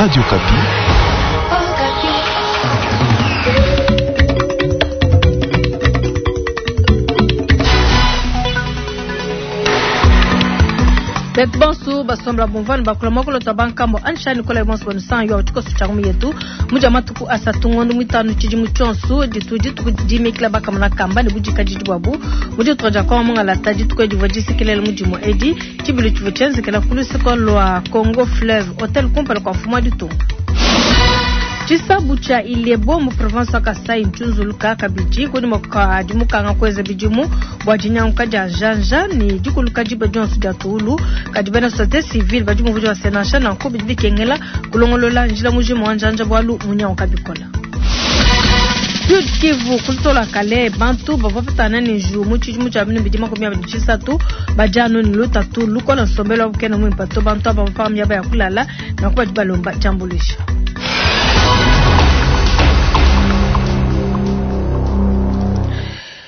Radio Okapi. Betu bonso basomba bumvua ne bakula muakulu tua bankambua anshani nikola bonso banusangi wa tshikoso tshia ngumu yetu mudia matuku asatu ngondo muitanu tshidimu tshionso ditu dituku dimikila bakamona kamba ne budikadidi buabu mu ditunga dia Kongo mungalata dituku edi divua disekelela mudimu edi tshibilu tshivua tshienzekela ku luseke lua Congo Fleuve Hotel kumpala kua mfumu wa ditunga. Tshisabu tshia Ilebo mu province wa Kasai ntshiunzuluka kabidi kunyima kua dimukanga kuenza bidimu bua dinyanguka dia njanja ne dikuluka diba dionso dia tuwulu. Kadi bena societe civile badi bumvuija bua se nansha nanku bidi bikengela kulongolola njila mujima wa njanja bualu munyanguka bikola. Sud Kivu kutola kale bantu bavua bapetana ne njiwu mu tshidimu tshia 2023 badi anu ne lutatu lukola nsombelu wabu kena muimpe to. Bantu aba bapanga miaba ya kulala nanku badi balomba diambuluisha.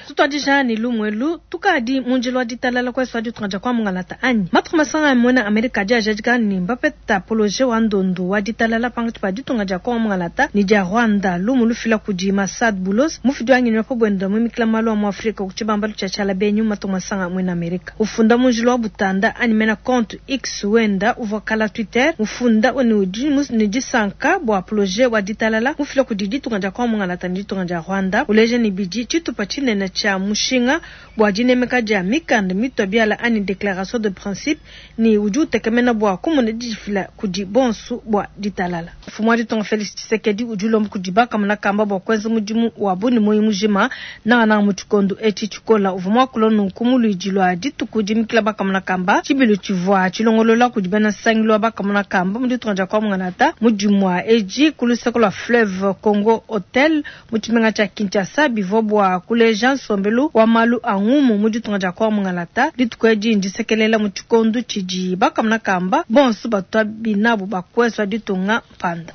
Tutuadija ne lumu elu, tukadi mu njila wa ditalala kuesu wa ditunga dia kwa mungalata anyi? Matuku masanga a muena Amerika adi ajadika ne mbapeta poloje wa ndondu wa ditalala pankatshi pa ditunga dia Kongo mungalata ne dia Rwanda. Lumu lufila kudi Massad Boulos, mufidi wa ngenyi wa pa buenda muimikila malu a mu Afrika ku tshibambalu tshia tshiala benyi mu matuku masanga a muena Amerika. Ufunda mu njila wa butanda anyi mena compte X wenda uvua kala Twitter, mufunda ne udi ne disanka bua poloje wa ditalala mufila kudi ditunga dia Kongo mungalata ne ditunga dia Rwanda, uleja ne bidi tshitupa tshinene tshia mushinga bua dinemeka dia mikanda mitua biala anyi declaration de principe ne udi utekemena bua kumona didifila kudi bonsu bua ditalala. Mfumu wa ditunga Felix Tshisekedi udi ulomba kudi bakamona kamba bua kuenza mudimu wabu ne muoyo mujima nangananga mu tshikondo etshi tshikola. Uvua muakula nunku mu luidi lua dituku dimikila bakamona kamba, tshibilu tshivua tshilongolola kudi bena nsangilu wa bakamona kamba mu ditunga dia Kwa-Mungalata mu dimua edi ku luseke lua Fleuve Congo Hotel mu tshimenga tshia Kinshasa. Bivua bua kuleja nsombelu wa malu a ngumu mu ditunga dia Kwa-Mungalata. Dituku edi ndisekelela mu tshikondo tshidi bakamona kamba bonso batua binabu ba kuesua ditunga mpanda.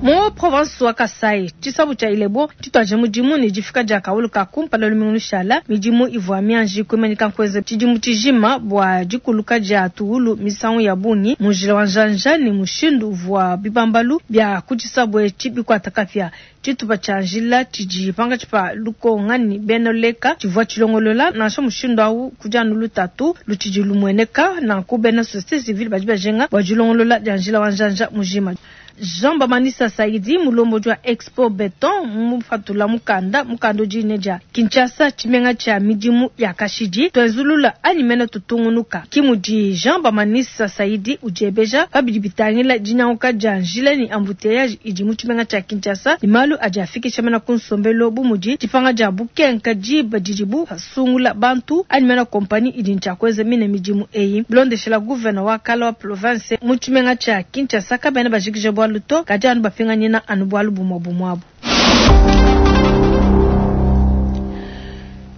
Mu province wa Kasai, tshisabu tshia Ilebo tshituadije mudimu ne difika dia kawulu ka kumpala lumingu lushala. Midimu ivua mianji kuimanyika nkuenza tshidimu tshijima bua dikuluka dia tuwulu misangu ya bungi mu njila wa njanja ne mushindu uvua bibambalu bia ku tshisabu etshi bikuata kapia. Tshitupa tshia njila tshidi pankatshi pa Lukonga ne Bena Leka tshivua tshilongolola nansha mushindu au kudi anu lutatu lutshidi lumueneka. Nanku bena societe civile badi bajinga bua dilongolola dia njila wa njanja mujima. Jean Bamanisa Saidi, mulombodi wa Expo Beton, mupatula mukanda, mukanda udi ne dia Kinshasa, tshimenga tshia midimu ya kashidi, tuenzulula anyi mene tutungunuka. Ki mudi Jean Bamanisa Saidi udiebeja pa bidi bitangila dinyanguka dia njila ne embouteillage idi mu tshimenga tshia Kinshasa ne malu adi afikisha mena ku nsombelu bu mudi dipanga dia bukenka diba didibu basungula bantu anyi mena kompanyi idi ne tshia kuenza mine midimu eyi. Bilondeshela gouvena wa kala wa province mu tshimenga tshia Kinshasa, kabena bajikija bualu to, kadi anu bapinganyina anu bualu bumue bumue abu.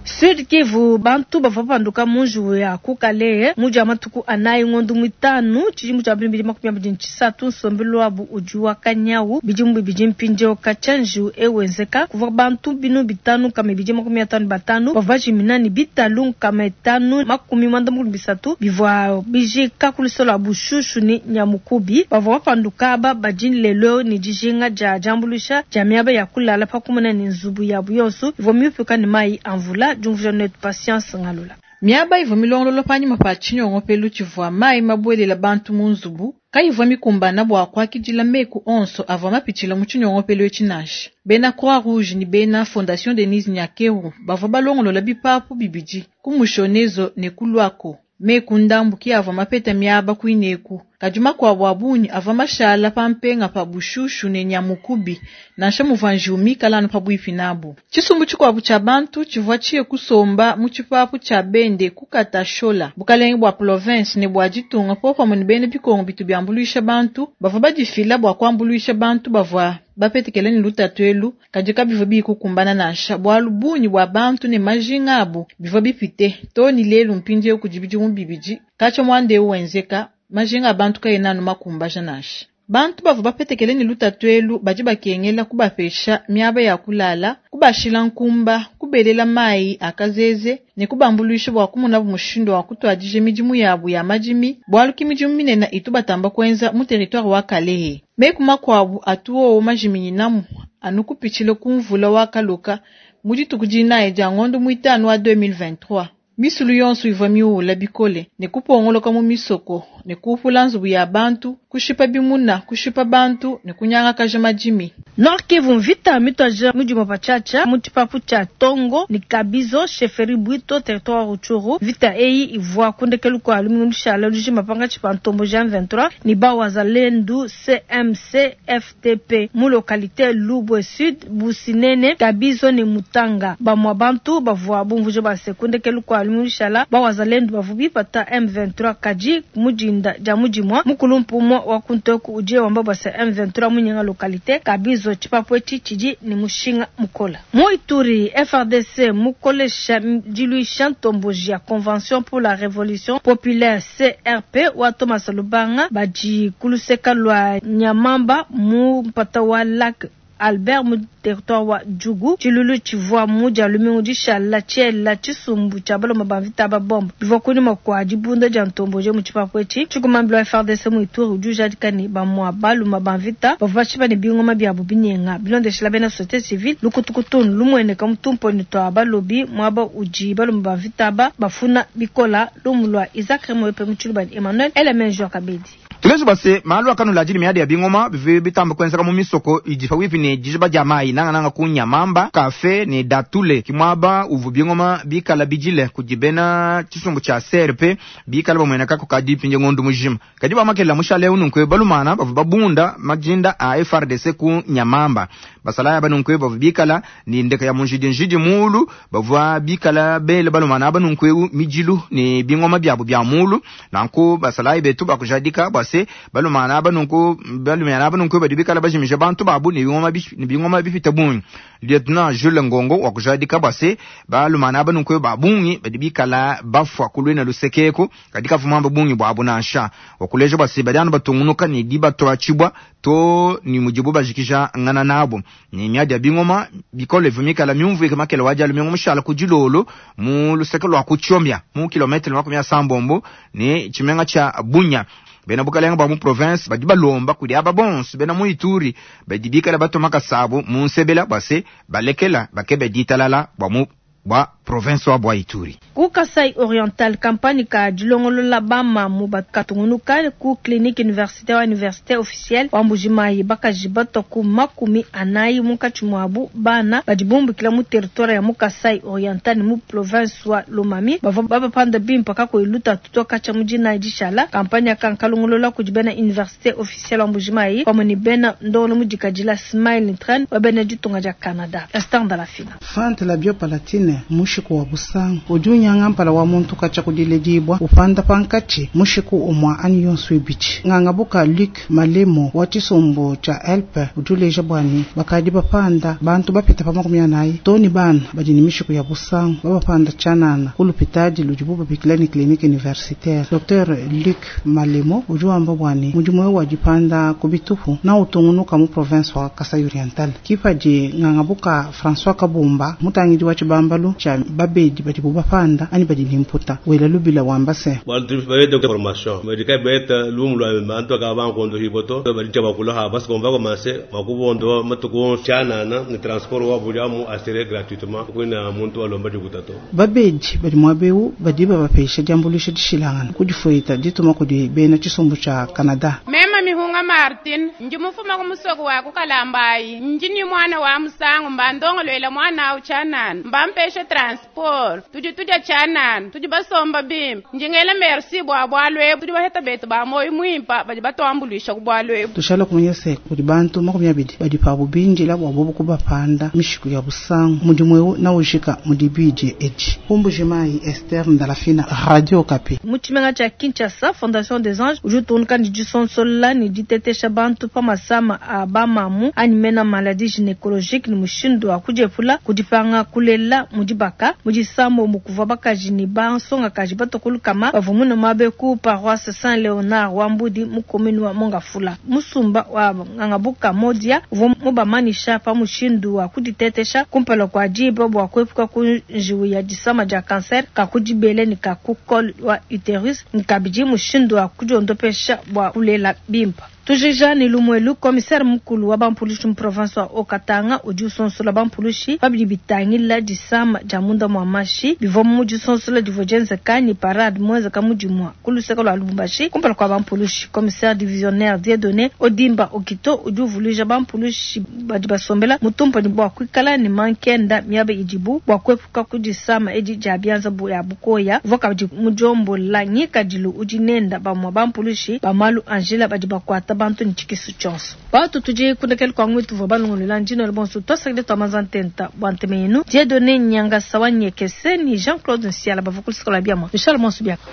Sud Kivu, bantu bavua bapanduka mu njiwu ya ku Kalehe mu dia matuku anayi ngondo muitanu tshidimu tshia 2023, nsombelu wabu udi wa kanyawu. Bidimu bibidi mpindieu katshia njiwu eu wenzeka, kuvua bantu 5255 bavua bajimina ne bitalu 553 bivua bijika ku luseke lua Bushushu ne Nyamukubi. Bavua bapanduka aba badi lelu eu ne dijinga dia diambuluisha dia miaba ya kulala pa kumona ne nzubu yabu yonso ivua miupuka ne mayi a mvula. Diumvuija netu Patience Ngalula. Miaba ivua milongolola panyima pa tshinyongopelu tshivua mayi mabuelela bantu mu nzubu kayivua mikumbana bua kuakidila meku onso avua mapitshila mu tshinyongopelu etshi nansha. Bena Croix Rouge ne bena Fondation Denise Nyakeru bavua balongolola bipapu bibidi ku Mushonezo ne ku Luako. Meku ndambu ki avua mapeta miaba kuineku, kadi makuabu a bungi avua mashala pa mpenga pa Bushushu ne Nyamukubi, nansha muvua njiwu mikale anu pabuipi nabu. Tshisumbu tshikuabu tshia bantu tshivua tshiye kusomba mu tshipapu tshia Bende ku Katashola, bukalenge bua province ne bua ditunga, popamue ne bena bikongo bitu biambuluisha bantu bavua badifila bua kuambuluisha bantu bavua bapetekela ne lutatu elu, kadi kabivua biyi kukumbana nansha, bualu bungi bua bantu ne majinga abu bivua bipite too ne lelu. Mpindieu kudi bidimu bibidi katshia muanda eu wenzeka, majinga a bantu kaena anu makumbaja nansha. Bantu bavua bapetekele ne lutatu elu badi bakengela kubapesha miaba ya kulala, kubashila nkumba, kubelela mayi a kazeze ne kubambuluisha bua kumonabu mushindu wa kutuadija midimu yabu ya madimi, bualu ki midimu minene itu batamba kuenza mu territoire wa Kalehe. Meku makuabu atu wowo majiminyinamu anu kupitshila ku mvula wa kaloka mu dituku dinayi dia ngondo muitanu wa 2023. Misulu yonso ivua miuwula bikole ne kupongoloka mu misoko ne kuupula nzubu ya bantu, kushipa bimuna, kushipa bantu ne kunyangakaja madimi. Nord Kivu, mvita mituadija mu dimue patshiatshia mu tshipapu tshia Tongo ne Kabizo, chefferie Bwito, territoire wa Rutshuru. Mvita eyi ivua ku ndekelu kua lumingu lushala lujima pankatshi pa ntomboji M23 ne ba Wazalendu CMC FTP mu localite Lubwe Sud, Businene, Kabizo ne Mutanga. Bamua bantu bavua bumvuija bua se ku ndekelu kua lumingu lushala ba Wazalendu bavua bipata M23 kadi mu dinda dia mu dimua mukulumpu umue wa ku ntoku udi wamba bua se M23 munyenga localite Kabizo. Tshipapu etshi tshidi ne mushinga mukola. Mu Ituri, FARDC mukolesha diluisha ntomboji ya Convention pour la Revolution Populaire CRP wa Thomas Lubanga badi ku luseka lua Nyamamba mu mpata wa Lac Albert mu territoire wa Djugu. Tshiluilu tshivua mu dia lumingu dishala tshiela tshisumbu tshia balume ba mvita ba bombe bivua kunyima kua dibunda dia ntomboji mu tshipapu etshi. Tshikumambila wa FARDC mu Ituri udi ujadika ne bamua balume ba mvita bavua bashipa ne bingoma biabu binyenga. Bilondeshila bena société civile, lukutukutu lumueneka mu tumponi tua balobi muaba udi balume ba mvita aba bafuna bikola. Lumu lua Isaac Remoyope mu tshiluba ne Emmanuel Elemenjo Kabedi. Tuleje base malu akanula ajili miadi ya bingoma bivi bitamba kwenzeka mu misoko idi pawipi ne dijiba dia mayi nangananga ku Nyamamba kafe ne Datule kimwaba uvu bingoma bikala bijile kudi bena tshisumbu tshia CRP bikala bamweneka kukadi pinje ngondu mujima kadi bamakela mushale ununkwe balumana bavu babunda majinda a FARDC ku Nyamamba basalaya banunkwe bavu bikala ni ndeka ya munjidi njidi mulu bavua bikala bele balumana banunkwe mijilu ne bingoma byabo bya mulu nanku basalaya betu bakujadika bwase balumana banunku balumana banunku badi bikala bajimisha bantu babu ne bingoma ne bingoma bifita bungi. Lieutenant Jules Ngongo wakujadika bwase balumana banunku babungi badi bikala bafwa kulwena lusekeko kadika vumamba bungi bwabo nansha wakuleja bwase badi anu batungunuka ne dibatwa chibwa to ni mujibu bajikisha ngana nabo ni miadi ya bingoma bikole vumikala myumvu ikemakela waja lumingo mushala kujilolo mu luseke lwa kuchomya mu kilometre 60 ni chimenga cha Bunya. Bena bukalenga ba mu province badi balomba kudi aba bonso bena mu Ituri badi bikala batomaka sabo mu nsebela base balekela bakebe ditalala bwa mu bwa province wa bwa Ituri. Ku Kasai Oriental, campagne ka dilongolola bama mu bakatungunuka ku clinique universitaire wa université officielle wa Mbujimayi bakaji bato ku 40 munkatshi muabu bana badi bumbukila mu territoire ya mu Kasai Oriental mu province wa Lomami bavua babapanda bimpa kakuiluta tutoka tshia mudina dishala. Campagne ya kankalongolola kudi bena université officielle wa Mbujimayi pamue ne bena ndongolo mudikadila Smile Train wa bena ditunga dia Canada. Esther Ndalafina. Fante la biopalatine mushiku wa busangu udi unyanga mpala wa muntu kacha kudiledibwa upanda pankachi mushiku umwa ani yonso ibichi ngangabuka Luc Malemo wa chisumbu cha Elpe udi uleja bwani bakadi bapanda bantu bapita pa 40 toni bana badi ni mishiku ya busangu babapanda chanana kulupitadi ludibu babikila ni clinique universitaire. Dr Luc Malemo udi wamba bwani mudimu wa dipanda kubitupu na utungunuka mu province wa Kasai Oriental kipadi ngangabuka François Kabumba mutangidi wa chibambalu cha babedi badi bubapanda ani badi nimputa wela lubila wambase bantu babede formation medika beta lumulwa bantu ka bankondo hiboto bali chabakula ha bas komba commencer makubondo matuko chanana ni transport wa bulyamu assuré gratuitement kuna muntu alomba dikutato babedi badi mwabeu badi babapesha jambulisha dishilangana kudifuita dituma kudi bena chisumbu cha Canada. Mema mihunga Martin njimufuma kumusoko wa kukalambayi njini mwana wa musangu mbandongolwela mwana au chanana mbampeshe transport tudi tuja chanana tudi basomba bimba njingela merci bwa bwalwe tudi baheta betu ba moyo mwimpa badi batwambulisha kubwalwe tushala kumanyese kudi bantu 20 badi pabu binjila bwa bobu kubapanda mishiku ya busangu mudimu na ujika mudibije eji Mbujimayi Esther Ndalafina, Radio Okapi. Mu tshimenga tshia Kinshasa, Fondation des Anges udi utungunuka ne disonsola ne kuditetesha bantu pa masama a bamamu anyi mena maladies gynecologiques ne mushindu wa kudiepula ku dipanga kulela mu dibaka. Mu disambombo kuvua bakaji ne bansongakaji batua ku lukama bavua mune muaba ku paroisse Saint Leonard wa Mbudi mu commune wa Mont-Ngafula. Musumba wa Ngangabuka Modia uvua mubamanyisha pa mushindu wa kuditetesha kumpala kua diba bua kuepuka ku njiwu ya disama dia cancer ka ku dibele ne ka ku col wa uterus ne kabidi mushindu wa kudiondopesha bua kulela bimpe. Tujija ne lumuelu, commissaire mukulu wa ba mpulushi mu province wa Haut-Katanga udi usonsola ba mpulushi pa bidi bitangila disama dia munda mua mashi. Bivua mu disonsola divua dienzeka ne parade muenzeka mu dimua ku luseke lua Lubumbashi kumpala kua ba mpulushi. Commissaire divisionnaire Dieudonne Odimba Okito udi uvuluija ba mpulushi badi basombela mu tumpanyi bua kuikala ne mankenda miaba idibu bua kuepuka ku disama edi dia bianza ya bukoya. Uvua kabidi mudiombola ngikadilu udi nenda bamue ba mpulushi ba malu a njila badi bakuata bantu ne tshikisu tshionso. Batu tudi ku ndekelu kua ngumu tuvua balongolola ndino bonso tuasakidila tua manza ntenta bua ntema yenu. Dieudonne Nyangasa wa Nyekese ne Jean-Claude Nsiala bavua ku luseke lua biamua. Tushala bonso biaka.